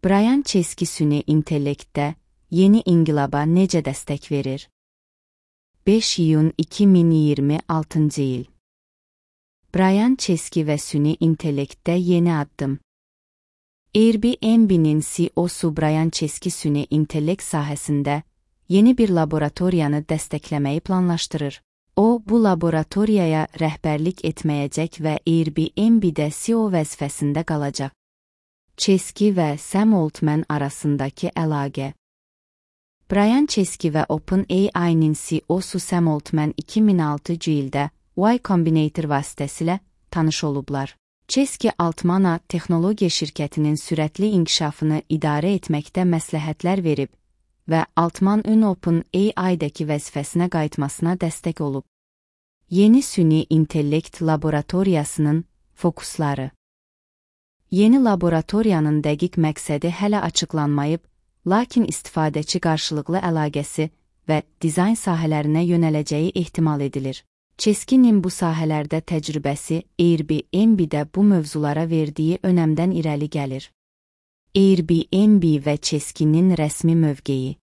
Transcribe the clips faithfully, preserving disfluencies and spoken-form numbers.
Brian Chesky süni intellektdə yeni inqilaba necə dəstək verir? beş iyun iki min iyirmi altıncı il. Brian Chesky və süni intellektdə yeni addım. Airbnb-nin C E O-su Brian Chesky süni intellekt sahəsində yeni bir laboratoriyanı dəstəkləməyi planlaşdırır. O, bu laboratoriyaya rəhbərlik etməyəcək və Airbnb-də C E O vəzifəsində qalacaq. Chesky və Sam Altman arasındakı əlaqə. Brian Chesky və OpenAI-nin C E O-su Sam Altman iki min altıncı ildə Y Combinator vasitəsilə tanış olublar. Chesky Altmana texnologiya şirkətinin sürətli inkişafını idarə etməkdə məsləhətlər verib və Altman ün OpenAI-dəki vəzifəsinə qayıtmasına dəstək olub. Yeni süni intellekt laboratoriyasının fokusları. Yeni laboratoriyanın dəqiq məqsədi hələ açıqlanmayıb, lakin istifadəçi qarşılıqlı əlaqəsi və dizayn sahələrinə yönələcəyi ehtimal edilir. Chesky'nin bu sahələrdə təcrübəsi Airbnb-də bu mövzulara verdiyi önəmdən irəli gəlir. Airbnb və Chesky'nin rəsmi mövqeyi.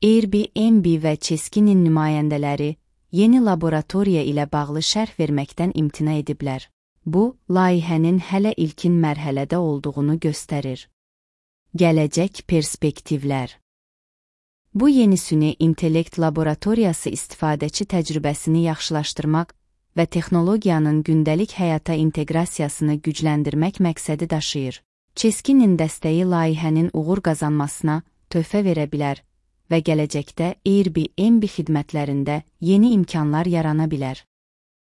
Airbnb və Chesky'nin nümayəndələri yeni laboratoriya ilə bağlı şərh verməkdən imtina ediblər. Bu, layihənin hələ ilkin mərhələdə olduğunu göstərir. Gələcək perspektivlər. Bu yeni süni intellekt laboratoriyası istifadəçi təcrübəsini yaxşılaşdırmaq və texnologiyanın gündəlik həyata inteqrasiyasını gücləndirmək məqsədi daşıyır. Chesky'nin dəstəyi layihənin uğur qazanmasına töhfə verə bilər və gələcəkdə Airbnb xidmətlərində yeni imkanlar yarana bilər.